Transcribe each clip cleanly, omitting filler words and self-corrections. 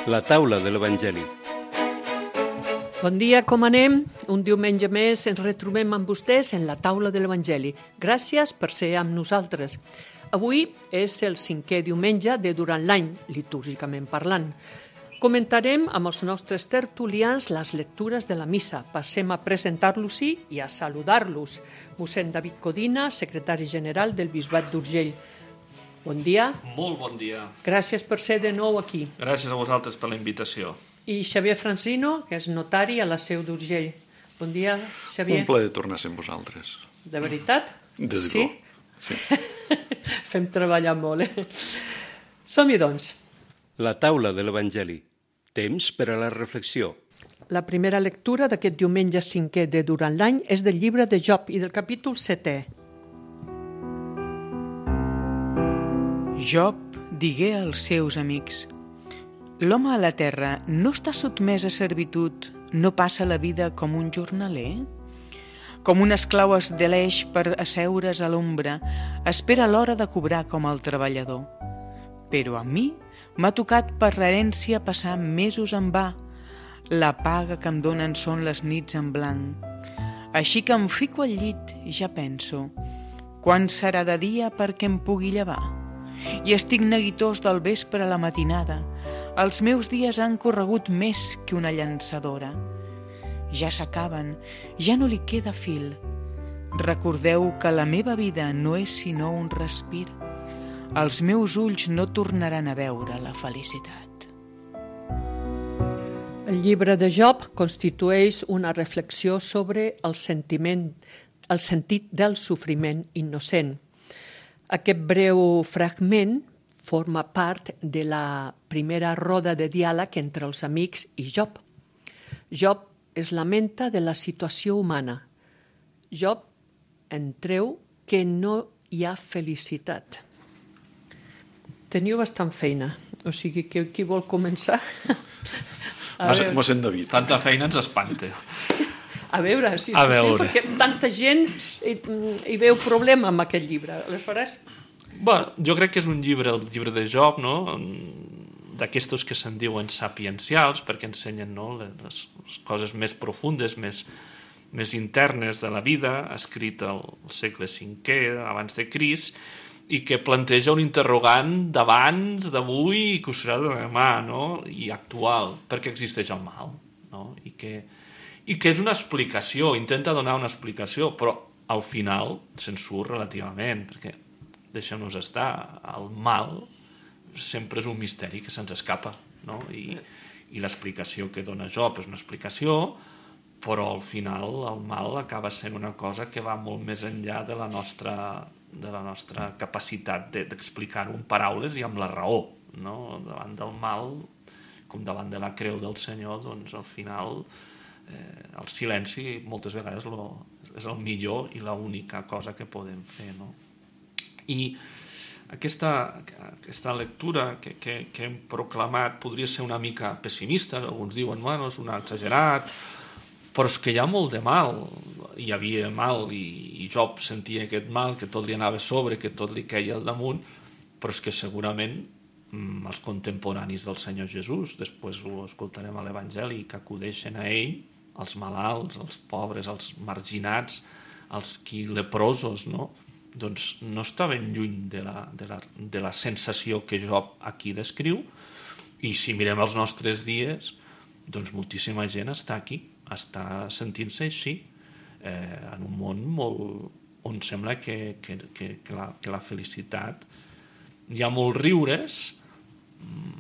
La taula de l'Evangeli. Bon dia, com anem? Un diumenge més ens retrobem amb vostès en la taula de l'Evangeli. Gràcies per ser amb nosaltres. Avui és el 5è diumenge de durant l'any, litúrgicament parlant. Comentarem amb els nostres tertulians les lectures de la missa. Passem a presentar-los-hi i a saludar-los. Mossèn David Codina, secretari general del Bisbat d'Urgell. Bon dia. Molt bon dia. Gràcies per ser de nou aquí. Gràcies a vosaltres per la invitació. I Xavier Francino, que és notari a la Seu d'Urgell. Bon dia, Xavier. Un plaer tornar a ser amb vosaltres. De veritat? Des de sí? Sí. Fem treballar molt, Som-hi, doncs. La taula de l'Evangeli. Temps per a la reflexió. La primera lectura d'aquest diumenge 5è de durant l'any és del llibre de Job i del capítol 7è. Job digué als seus amics: l'home a la terra no està sotmès a servitud, no passa la vida com un jornaler? Com un esclau es deleix per asseure's a l'ombra, espera l'hora de cobrar com el treballador. Però a mi m'ha tocat per l'herència passar mesos en va. La paga que em donen són les nits en blanc. Així que em fico al llit i ja penso: quan serà de dia perquè em pugui llevar? I estic neguitós del vespre a la matinada. Els meus dies han corregut més que una llançadora. Ja s'acaben, ja no li queda fil. Recordeu que la meva vida no és sinó un respir. Els meus ulls no tornaran a veure la felicitat. El llibre de Job constitueix una reflexió sobre el sentit del sofriment innocent. Aquest breu fragment forma part de la primera roda de diàleg entre els amics i Job. Job es lamenta de la situació humana. Job en treu que no hi ha felicitat. Teniu bastant feina, o sigui que qui vol començar? Mossèn David. Tanta feina ens espanta. A veure, si A veure. perquè tanta gent hi veu problema amb aquest llibre. Aleshores, Bueno, jo crec que és un llibre, el llibre de Job, no? D'aquestos que se'n diuen sapiencials, perquè ensenyen, no? les coses més profundes, més internes de la vida, escrit al segle V abans de Crist, i que planteja un interrogant d'abans, d'avui i que ho serà de demà, no? I actual, perquè existeix el mal, no? I que és una explicació, intenta donar una explicació, però al final se'n surt relativament, perquè deixem-nos estar, el mal sempre és un misteri que se'ns escapa, no? I l'explicació que dona Job és una explicació, però al final el mal acaba sent una cosa que va molt més enllà de la nostra capacitat d'explicar-ho en paraules i amb la raó, no? Davant del mal, com davant de la creu del Senyor, doncs al final el silenci moltes vegades és el millor i l'única cosa que podem fer, no? I aquesta lectura que hem proclamat podria ser una mica pessimista, alguns diuen, bueno, és un exagerat, però és que hi ha molt de mal, hi havia mal i Job sentia aquest mal, que tot li anava a sobre, que tot li queia al damunt, però és que segurament els contemporanis del Senyor Jesús, després ho escoltarem a l'Evangeli, que acudeixen a ell, els malalts, els pobres, els marginats, els leprosos, no? Doncs no està ben lluny de la sensació que Job aquí descriu, i si mirem els nostres dies, doncs moltíssima gent està aquí, està sentint-se així, en un món on sembla que la felicitat, hi ha molts riures,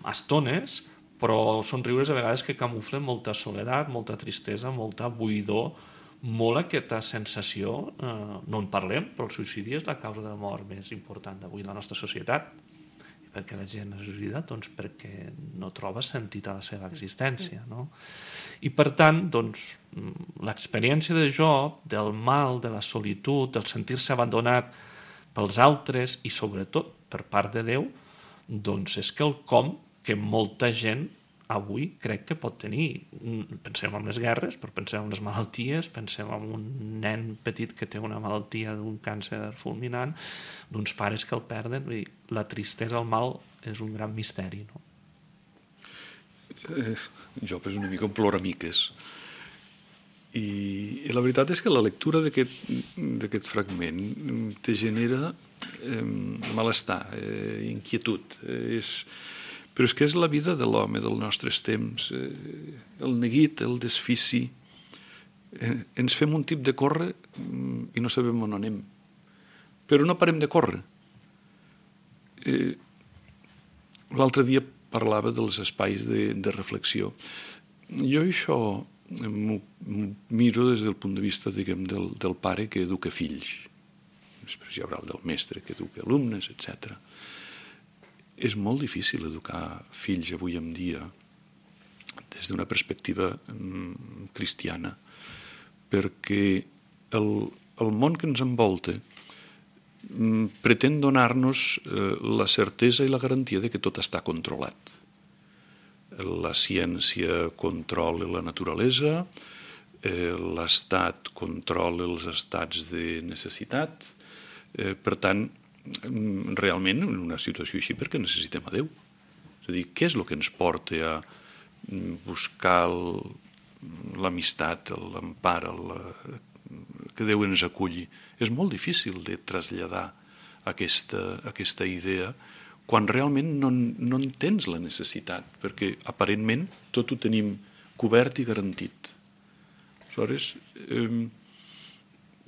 estones, però són riures a vegades que camuflen molta soledat, molta tristesa, molta buidor, molt aquesta sensació, no en parlem, però el suïcidi és la causa de mort més important d'avui en la nostra societat. I per què la gent es suïcida? Doncs perquè no troba sentit a la seva existència, no? I per tant, doncs, l'experiència de Job, del mal, de la solitud, del sentir-se abandonat pels altres i sobretot per part de Déu, doncs és quelcom que molta gent avui crec que pot tenir. Pensem en les guerres, però pensem en les malalties, pensem en un nen petit que té una malaltia d'un càncer fulminant, d'uns pares que el perden. La tristesa, el mal, és un gran misteri, no? Job és una mica un ploramiques. I la veritat és que la lectura d'aquest fragment te genera malestar, inquietud. Però és que és la vida de l'home dels nostres temps. El neguit, el desfici. Ens fem un tip de córrer i no sabem on anem. Però no parem de córrer. L'altre dia parlava dels espais de reflexió. Jo això m'ho miro des del punt de vista, diguem, del pare que educa fills. Després hi haurà el del mestre que educa alumnes, etc. És molt difícil educar fills avui en dia des d'una perspectiva cristiana, perquè el món que ens envolta pretén donar-nos la certesa i la garantia de que tot està controlat. La ciència controla la naturalesa, l'Estat controla els estats de necessitat. Per tant, realment, en una situació així, per què necessitem a Déu? És a dir, què és el que ens porta a buscar l'amistat, l'empar, que Déu ens aculli? És molt difícil de traslladar aquesta idea quan realment no en tens la necessitat, perquè aparentment tot ho tenim cobert i garantit. Aleshores,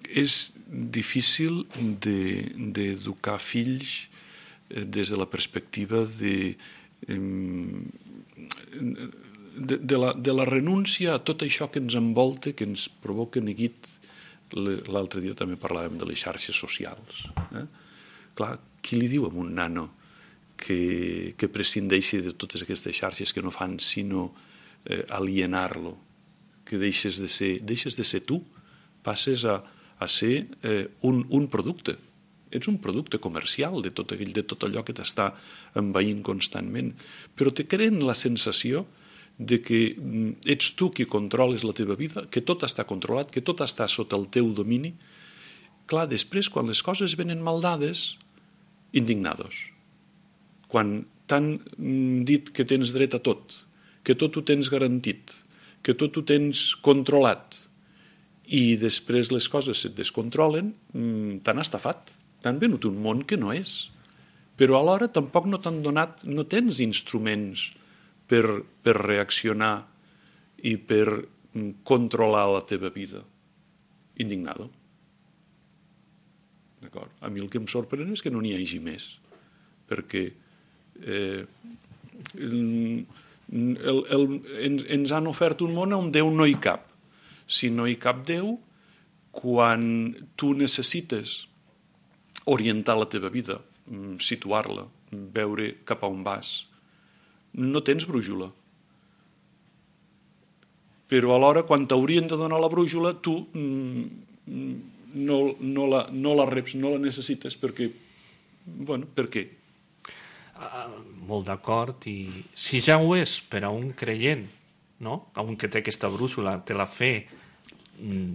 és difícil d'educar fills des de la perspectiva de la renúncia a tot això que ens envolta, que ens provoca neguit. L'altre dia també parlàvem de les xarxes socials. Clar, qui li diu a un nano que prescindeixi de totes aquestes xarxes que no fan sinó alienar-lo, que deixes de ser tu, passes a ser un producte. Ets un producte comercial de tot allò que t'està envaint constantment, però te creen la sensació de que ets tu qui controles la teva vida, que tot està controlat, que tot està sota el teu domini. Clar, després, quan les coses venen mal dades, indignados. Quan t'han dit que tens dret a tot, que tot ho tens garantit, que tot ho tens controlat, i després les coses se't descontrolen, t'han estafat, t'han venut un món que no és. Però alhora tampoc no t'han donat, no tens instruments per reaccionar i per controlar la teva vida. Indignado. D'acord? A mi el que em sorprèn és que no n'hi hagi més, perquè ens han ofert un món on Déu no hi cap. Si no hi cap Déu, quan tu necessites orientar la teva vida, situar-la, veure cap a on vas, no tens brújula. Però alhora, quan t'haurien de donar la brújula, tu no la reps, no la necessites, perquè... Bueno, per què? Molt d'acord, i si ja ho és per a un creient, no? A un que té aquesta brújula, té la fe,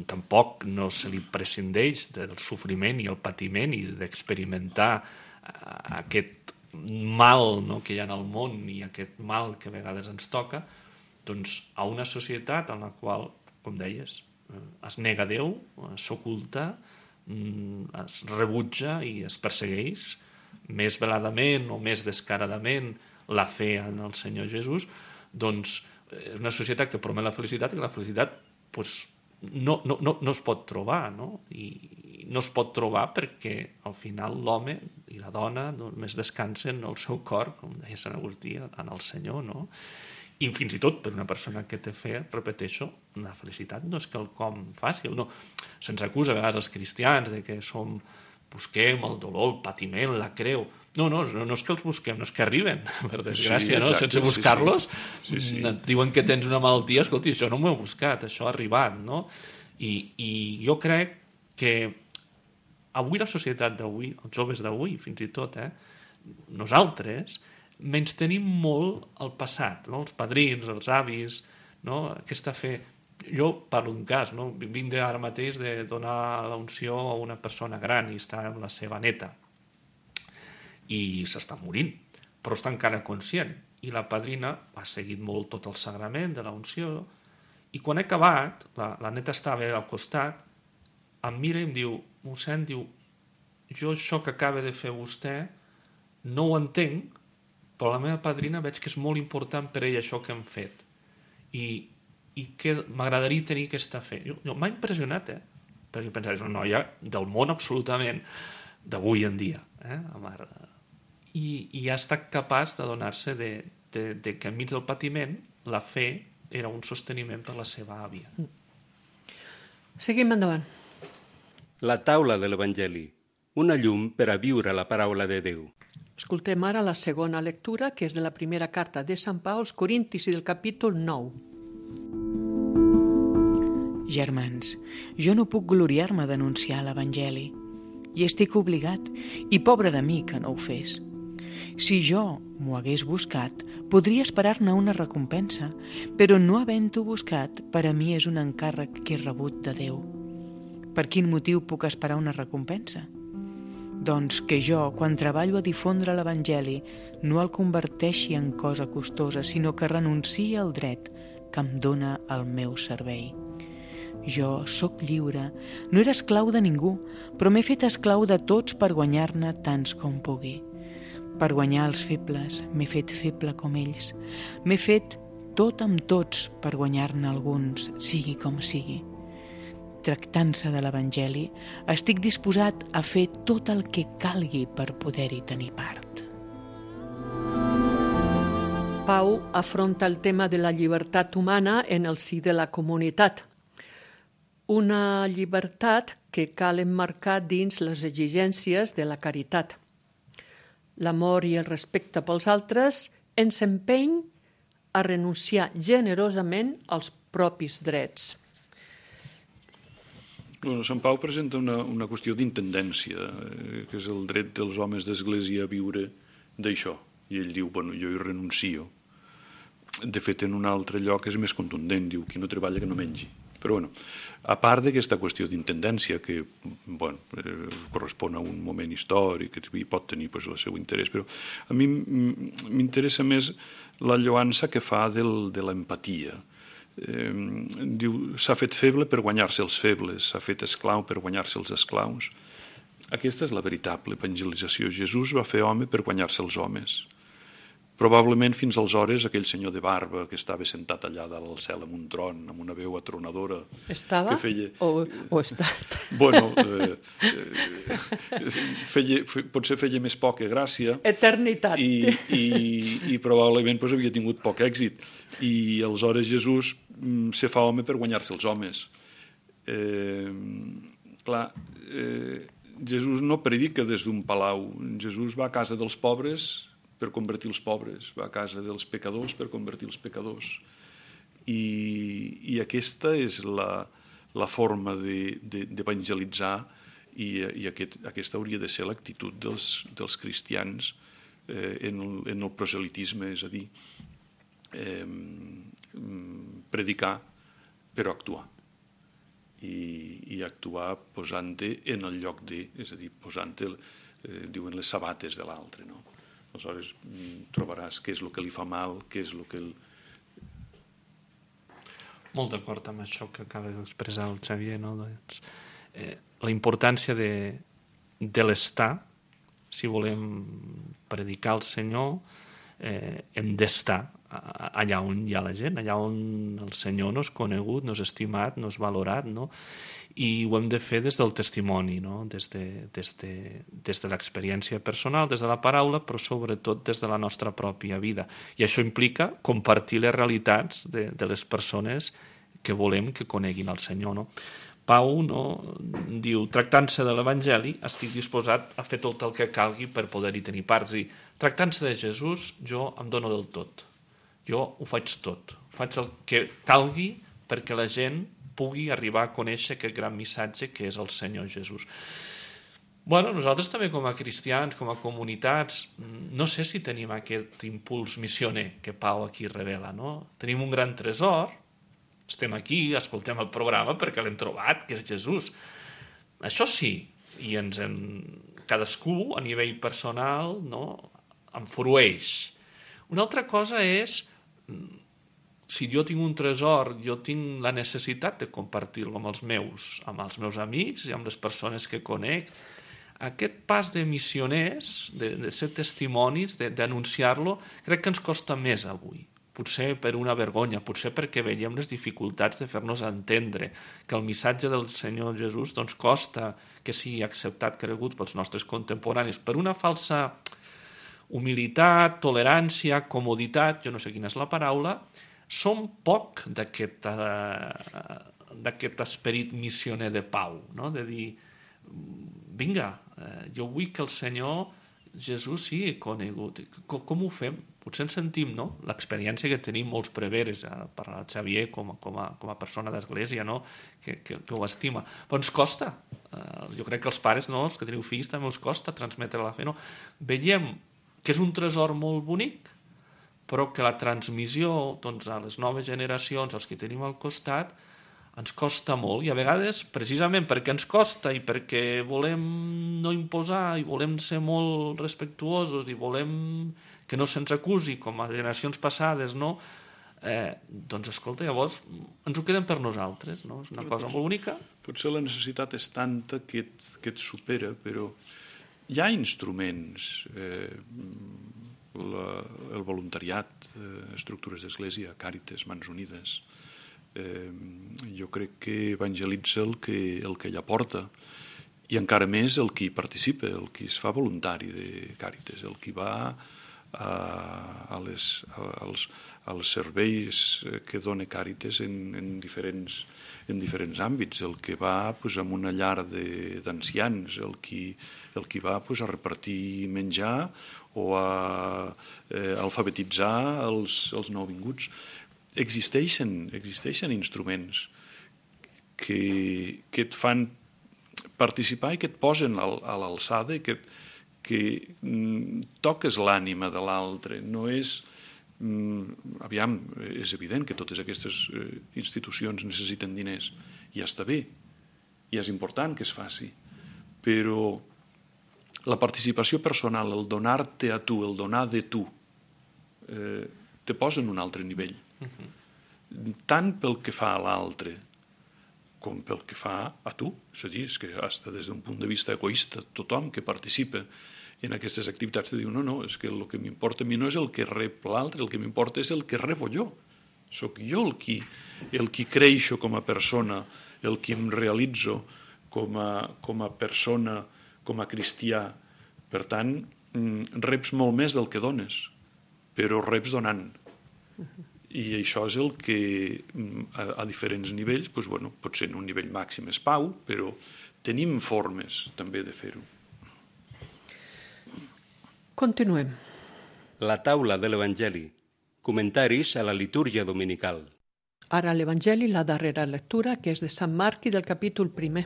tampoc no se li prescindeix del sofriment i el patiment i d'experimentar aquest mal, no, que hi ha en el món i aquest mal que a vegades ens toca, doncs a una societat en la qual, com deies, es nega a Déu, s'oculta, es rebutja i es persegueix més veladament o més descaradament la fe en el Senyor Jesús, doncs és una societat que promet la felicitat i la felicitat doncs, no es pot trobar, no? I no es pot trobar perquè al final l'home i la dona només descansen el seu cor, com deia Sant Agustí, en el Senyor, no? I fins i tot per una persona que té fe, repeteixo, la felicitat no és quelcom fàcil, no. Se'ns acusa a vegades els cristians de que busquem el dolor, el patiment, la creu. No és que els busquem, no és que arriben, per desgràcia, no? Sense buscar-los. Sí. Diuen que tens una malaltia, escolti, això no m'ho he buscat, això ha arribat, no? I jo crec que avui la societat d'avui, els joves d'avui, fins i tot, nosaltres, menys tenim molt el passat, no? Els padrins, els avis, no? Aquesta fe. Jo parlo d'un cas, no? Vinc ara mateix de donar l'unció a una persona gran i està amb la seva neta i s'està morint, però està encara conscient i la padrina ha seguit molt tot el sagrament de la unció, i quan he acabat, la neta estava al costat, em mira i em diu, mossèn, diu, jo això que acaba de fer vostè no ho entenc, però la meva padrina veig que és molt important per ella això que hem fet, i que m'agradaria tenir aquesta fe. M'ha impressionat, perquè pensava, és una noia del món absolutament d'avui en dia, la mare. I ha estat capaç de donar-se de que enmig del patiment la fe era un sosteniment per la seva àvia. Seguim endavant. La taula de l'Evangeli, una llum per a viure la paraula de Déu. Escoltem ara la segona lectura, que és de la primera carta de Sant Pau als Corintis i del capítol 9. Germans, jo no puc gloriar-me d'anunciar l'Evangeli, i estic obligat, i pobre de mi que no ho fes. Si jo m'ho hagués buscat, podria esperar-ne una recompensa, però no havent-ho buscat, per a mi és un encàrrec que he rebut de Déu. Per quin motiu puc esperar una recompensa? Doncs que jo, quan treballo a difondre l'Evangeli, no el converteixi en cosa costosa, sinó que renunciï al dret que em dóna el meu servei. Jo sóc lliure, no era esclau de ningú, però m'he fet esclau de tots per guanyar-ne tants com pugui. Per guanyar els febles, m'he fet feble com ells. M'he fet tot amb tots per guanyar-ne alguns, sigui com sigui. Tractant-se de l'Evangeli, estic disposat a fer tot el que calgui per poder-hi tenir part. Pau afronta el tema de la llibertat humana en el si de la comunitat. Una llibertat que cal emmarcar dins les exigències de la caritat. L'amor i el respecte pels altres ens empeny a renunciar generosament als propis drets. Bueno, Sant Pau presenta una qüestió d'intendència, que és el dret dels homes d'Església a viure d'això. I ell diu, bueno, jo hi renuncio. De fet, en un altre lloc és més contundent, diu, qui no treballa que no mengi. Però, bueno, a part d'aquesta qüestió d'intendència, que bueno, correspon a un moment històric i pot tenir pues, el seu interès, però a mi m'interessa més la lloança que fa de l'empatia. Diu, s'ha fet feble per guanyar-se els febles, s'ha fet esclau per guanyar-se els esclaus. Aquesta és la veritable evangelització. Jesús va fer home per guanyar-se els homes. Probablement fins aleshores aquell senyor de barba que estava sentat allà dalt al cel amb un tron, amb una veu atronadora... Estava que feia... o estat? Bueno, potser feia més poca gràcia. Eternitat. I probablement pues, havia tingut poc èxit. I aleshores Jesús se fa home per guanyar-se els homes. Jesús no predica des d'un palau. Jesús va a casa dels pobres per convertir els pobres, va a casa dels pecadors per convertir els pecadors. I aquesta és la forma d'evangelitzar i aquesta hauria de ser l'actitud dels cristians en el proselitisme, és a dir, predicar però actuar. I actuar posant-te en el lloc de, és a dir, posant-te, diuen, les sabates de l'altre, no? Aleshores trobaràs què és el que li fa mal, què és el que... Molt d'acord amb això que acaba d'expressar el Xavier, no? Doncs, la importància de l'estar, si volem predicar el Senyor, hem d'estar allà on hi ha la gent, allà on el Senyor no és conegut, no és estimat, no és valorat, no? I ho hem de fer des del testimoni, no? Des de l'experiència personal, des de la paraula, però sobretot des de la nostra pròpia vida. I això implica compartir les realitats de les persones que volem que coneguin el Senyor, no? Pau diu, tractant-se de l'Evangeli, estic disposat a fer tot el que calgui per poder-hi tenir parts. I tractant-se de Jesús, jo em dono del tot. Jo ho faig tot. Faig el que calgui perquè la gent pugui arribar a conèixer aquest gran missatge que és el Senyor Jesús. Bueno, nosaltres també com a cristians, com a comunitats, no sé si tenim aquest impuls missioner que Pau aquí revela, no? Tenim un gran tresor, estem aquí, escoltem el programa perquè l'hem trobat, que és Jesús. Això sí, i cadascú a nivell personal, no, en frueix Una altra cosa és, si jo tinc un tresor, jo tinc la necessitat de compartir-lo amb els meus amics i amb les persones que conec. Aquest pas de missioners, de ser testimonis, d'anunciar-lo, crec que ens costa més avui. Potser per una vergonya, potser perquè veiem les dificultats de fer-nos entendre, que el missatge del Senyor Jesús doncs, costa que sigui acceptat, cregut pels nostres contemporanis, per una falsa humilitat, tolerància, comoditat, jo no sé quina és la paraula, som poc d'aquest esperit missioner de pau, no? De dir, vinga, jo vull que el Senyor Jesús sigui conegut. Com ho fem? Potser ens sentim, no? L'experiència que tenim molts preveres, per al Xavier com a persona d'església, no? que ho estima. Però ens costa. Jo crec que els pares, no? Els que teniu fills, també us costa transmetre la fe. No? Veiem que és un tresor molt bonic, però que la transmissió doncs, a les noves generacions, als que tenim al costat, ens costa molt, i a vegades, precisament perquè ens costa i perquè volem no imposar i volem ser molt respectuosos i volem que no se'ns acusi com a generacions passades, no? Doncs escolta, llavors ens ho quedem per nosaltres, no? És una cosa molt bonica. Potser la necessitat és tanta que et supera, però hi ha instruments, el voluntariat, estructures d'església, Càritas, Mans Unides. Jo crec que evangelitza el que ella porta, i encara més el qui participa, el qui es fa voluntari de Càritas, el qui va als serveis que dona Càritas en diferents àmbits, el que va pues, en una llar d'ancians, el qui va pues, a repartir menjar o a alfabetitzar els nouvinguts. Existeixen instruments que et fan participar i que et posen a l'alçada i que toques l'ànima de l'altre. No és... Aviam, és evident que totes aquestes institucions necessiten diners, i ja està bé, i és important que es faci, però la participació personal, el donar-te a tu, el donar de tu, te posa en un altre nivell. Tant pel que fa a l'altre com pel que fa a tu. És a dir, és que hasta des d'un punt de vista egoista, tothom que participa en aquestes activitats te diu no, és que el que m'importa a mi no és el que rep l'altre, el que m'importa és el que rebo jo. Soc jo el qui creixo com a persona, el qui em realitzo com a persona, com a cristià. Per tant, reps molt més del que dones, però reps donant. I això és el que a diferents nivells, doncs, bueno, potser en un nivell màxim és pau, però tenim formes també de fer-ho. Continuem. La taula de l'Evangeli. Comentaris a la litúrgia dominical. Ara l'Evangeli, la darrera lectura, que és de Sant Marc i del capítol 1.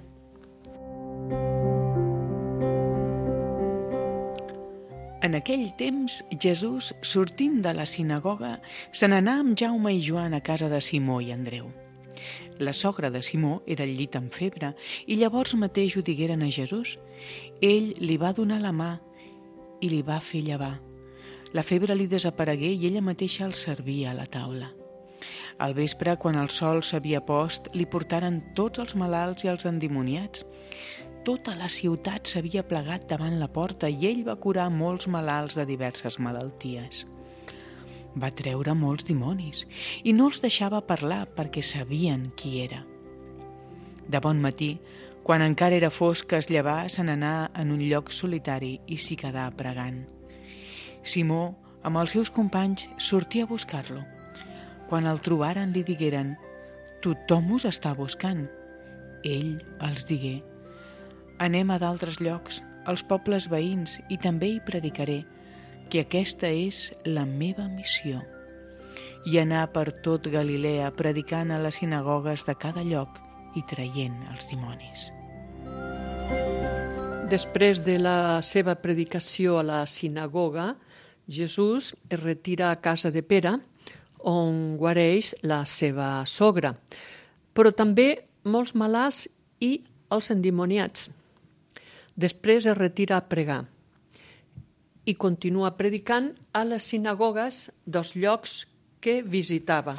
En aquell temps, Jesús, sortint de la sinagoga, se n'anà amb Jaume i Joan a casa de Simó i Andreu. La sogra de Simó era al llit amb febre i llavors mateix ho digueren a Jesús. Ell li va donar la mà i li va fer llevar. La febre li desaparegué i ella mateixa el servia a la taula. Al vespre, quan el sol s'havia post, li portaren tots els malalts i els endimoniats. Tota la ciutat s'havia plegat davant la porta i ell va curar molts malalts de diverses malalties. Va treure molts dimonis i no els deixava parlar perquè sabien qui era. De bon matí, quan encara era fosc, es llevà, se n'anà en un lloc solitari i s'hi quedà pregant. Simó, amb els seus companys, sortia a buscar-lo. Quan el trobaren li digueren: «Tothom us està buscant». Ell els digué: «Anem a d'altres llocs, als pobles veïns, i també hi predicaré, que aquesta és la meva missió». I anar per tot Galilea predicant a les sinagogues de cada lloc i traient els dimonis. Després de la seva predicació a la sinagoga, Jesús es retira a casa de Pere, on guareix la seva sogra, però també molts malalts i els endimoniats. Després es retira a pregar. i continua predicant a les sinagogues dels llocs que visitava.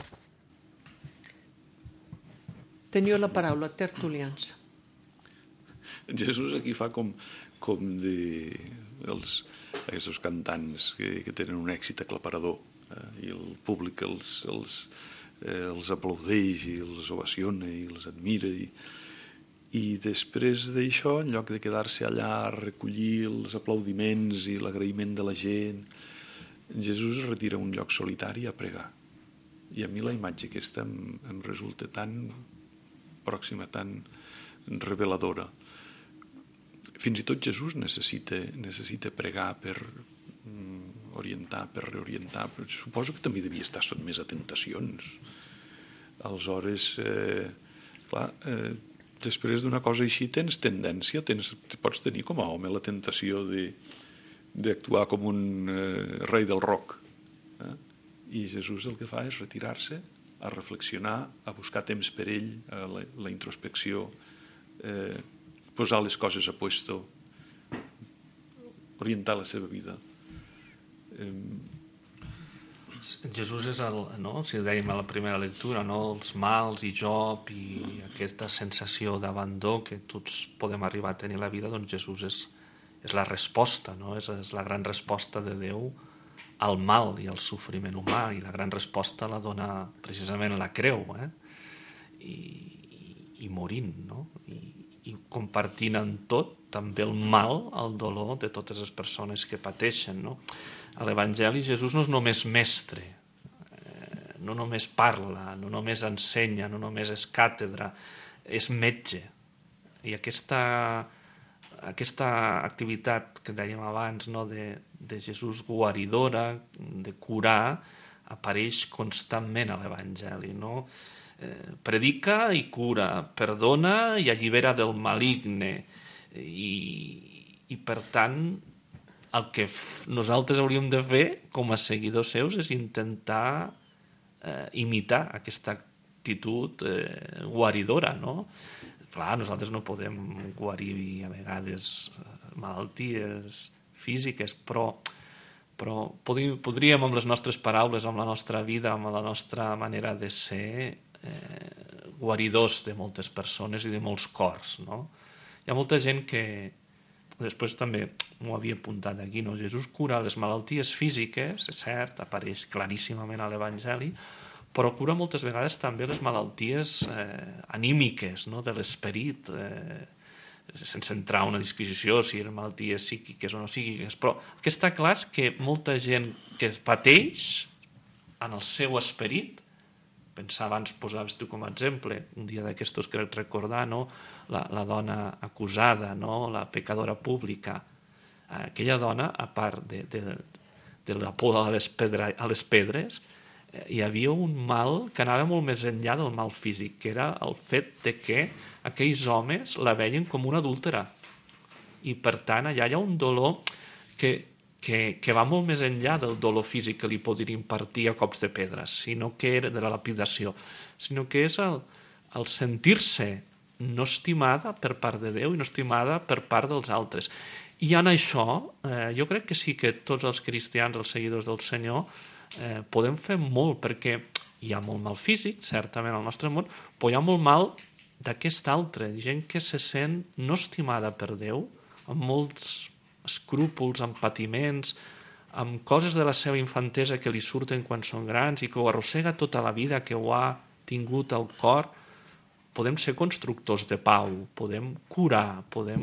Teniu la paraula, tertulians. Jesús aquí fa com aquests cantants que tenen un èxit aclaparador i el públic els aplaudeix i els ovaciona i els admira i després d'això, en lloc de quedar-se allà a recollir els aplaudiments i l'agraïment de la gent, Jesús es retira a un lloc solitari a pregar. I a mi la imatge aquesta em resulta tan pròxima, tan reveladora. Fins i tot Jesús necessita pregar per orientar, per reorientar. Suposo que també devia estar sotmès a tentacions. Aleshores, després d'una cosa així tens tendència, pots tenir com a home la tentació d'actuar com un rei del rock. I Jesús el que fa és retirar-se, a reflexionar, a buscar temps per ell, a la introspecció, posar les coses a puesto, orientar la seva vida. Jesús és si dèiem a la primera lectura, els mals i Job i aquesta sensació d'abandó que tots podem arribar a tenir a la vida, doncs Jesús és la resposta, és la gran resposta de Déu al mal i al sofriment humà, i la gran resposta la dona precisament la creu, i morint, i compartint en tot també el mal, el dolor de totes les persones que pateixen. A l'Evangeli Jesús no és només mestre, no només parla, no només ensenya, no només és càtedra, és metge. I aquesta activitat que dèiem abans, de Jesús guaridora, de curar, apareix constantment a l'Evangeli. Predica i cura, perdona i allibera del maligne. I per tant, el que nosaltres hauríem de fer com a seguidors seus és intentar imitar aquesta actitud guaridora. Clar, nosaltres no podem guarir a vegades malalties físiques, però podríem amb les nostres paraules, amb la nostra vida, amb la nostra manera de ser, guaridors de moltes persones i de molts cors. Hi ha molta gent que, després també m'ho havia apuntat aquí, Jesús cura les malalties físiques, és cert, apareix claríssimament a l'Evangeli, però cura moltes vegades també les malalties anímiques, de l'esperit, sense entrar en una disquisició si eren malalties psíquiques o no psíquiques, però el que està clar és que molta gent que pateix en el seu esperit, pensar abans, posaves tu com a exemple, un dia d'aquestos que crec recordar, la dona acusada, la pecadora pública, aquella dona, a part de la por a les pedres, hi havia un mal que anava molt més enllà del mal físic, que era el fet de que aquells homes la veien com una adúltera. I per tant, allà hi ha un dolor que va molt més enllà del dolor físic que li podria impartir a cops de pedres, sinó que era de la lapidació, sinó que és el sentir-se no estimada per part de Déu i no estimada per part dels altres. I en això, jo crec que sí que tots els cristians, els seguidors del Senyor, podem fer molt, perquè hi ha molt mal físic, certament al nostre món, però hi ha molt mal d'aquest altre, gent que se sent no estimada per Déu, amb molts escrúpols, amb patiments, amb coses de la seva infantesa que li surten quan són grans i que ho arrossega tota la vida, que ho ha tingut al cor. Podem ser constructors de pau, podem curar, podem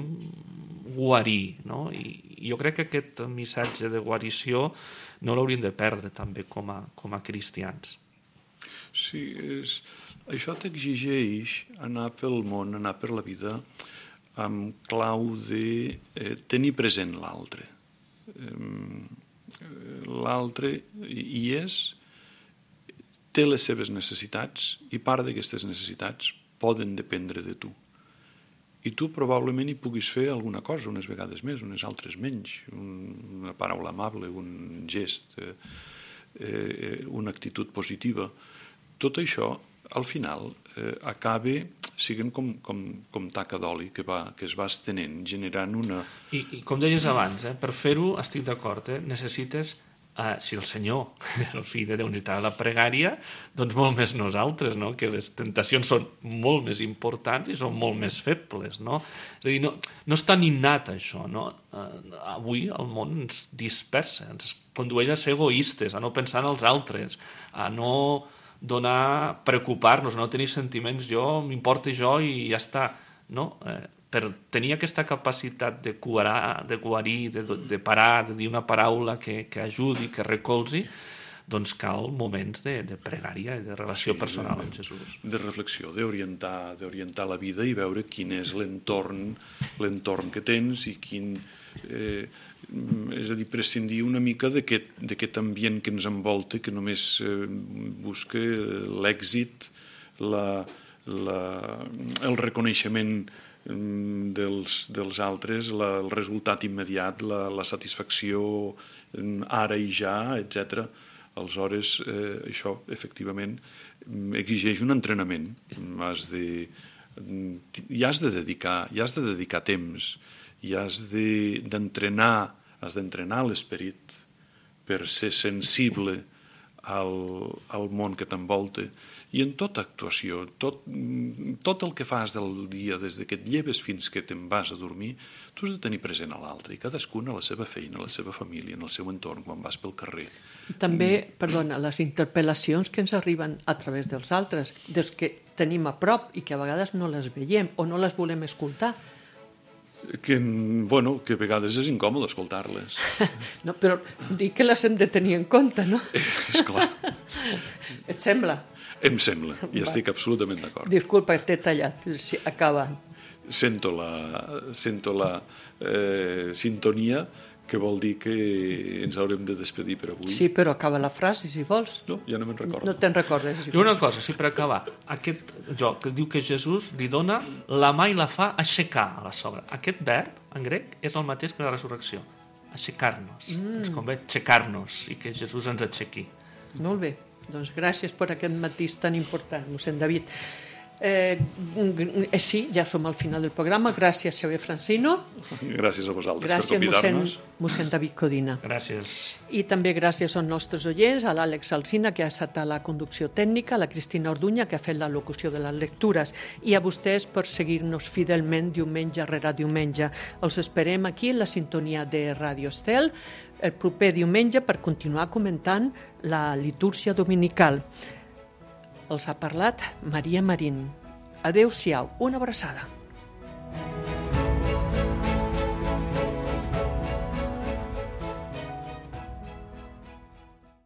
guarir, I jo crec que aquest missatge de guarició no l'hauríem de perdre també com a cristians. Sí, això t'exigeix anar pel món, anar per la vida amb clau de tenir present l'altre. L'altre té les seves necessitats i part d'aquestes necessitats poden dependre de tu. I tu probablement hi puguis fer alguna cosa, unes vegades més, unes altres menys, una paraula amable, un gest, una actitud positiva. Tot això, al final, acaba siguen com taca d'oli que es va estenent, generant una... I com deies abans, per fer-ho, estic d'acord, necessites, si el Senyor, el fill de Déu, necessitava la pregària, doncs molt més nosaltres, no? Que les tentacions són molt més importants i són molt més febles, no? És a dir, no és tan innat això, no? Avui el món ens dispersa, ens condueix a ser egoistes, a no pensar en els altres, a no preocupar-nos, a no tenir sentiments, m'importa jo i ja està, no? Per tenir aquesta capacitat de guarir, de parar, de dir una paraula que ajudi, que recolzi, doncs cal moments de pregària i de relació personal amb Jesús. De reflexió, d'orientar la vida i veure quin és l'entorn que tens i quin... és a dir, prescindir una mica d'aquest ambient que ens envolta, que només busca l'èxit, el reconeixement dels altres, el resultat immediat, la satisfacció ara i ja, etc. Aleshores, això efectivament exigeix un entrenament. Hi has de dedicar temps, i has d'entrenar l'esperit per ser sensible al món que t'envolta. I en tota actuació, tot el que fas del dia, des que et lleves fins que te'n vas a dormir, tu has de tenir present a l'altre, i cadascun a la seva feina, a la seva família, en el seu entorn, quan vas pel carrer. També, perdona, les interpel·lacions que ens arriben a través dels altres, dels que tenim a prop i que a vegades no les veiem o no les volem escoltar. Que a vegades és incòmode escoltar-les. No, però dic que les hem de tenir en compte, no? Esclar. Et sembla? Em sembla, i estic absolutament d'acord. Disculpa, t'he tallat, acaba. Sento la sintonia, que vol dir que ens haurem de despedir per avui. Sí, però acaba la frase, si vols. No, ja no me'n recordo. No te'n recordes. I una cosa, sí, per acabar, aquest joc que diu que Jesús li dona la mà i la fa aixecar a la sogra. Aquest verb, en grec, és el mateix que la resurrecció. Aixecar-nos. Ens convé aixecar-nos i que Jesús ens aixequi. Molt bé. Doncs gràcies per aquest matís tan important, mossèn David. Sí, ja som al final del programa. Gràcies, Xavier Francino. Gràcies a vosaltres per convidar-nos. Mossèn David Codina. Gràcies. I també gràcies als nostres oients, a l'Àlex Alsina, que ha estat a la conducció tècnica, a la Cristina Orduña, que ha fet la locució de les lectures, i a vostès per seguir-nos fidelment diumenge rere diumenge. Els esperem aquí en la sintonia de Ràdio Estel el proper diumenge per continuar comentant la litúrgia dominical. Els ha parlat Maria Marín. Adéu-siau, una abraçada.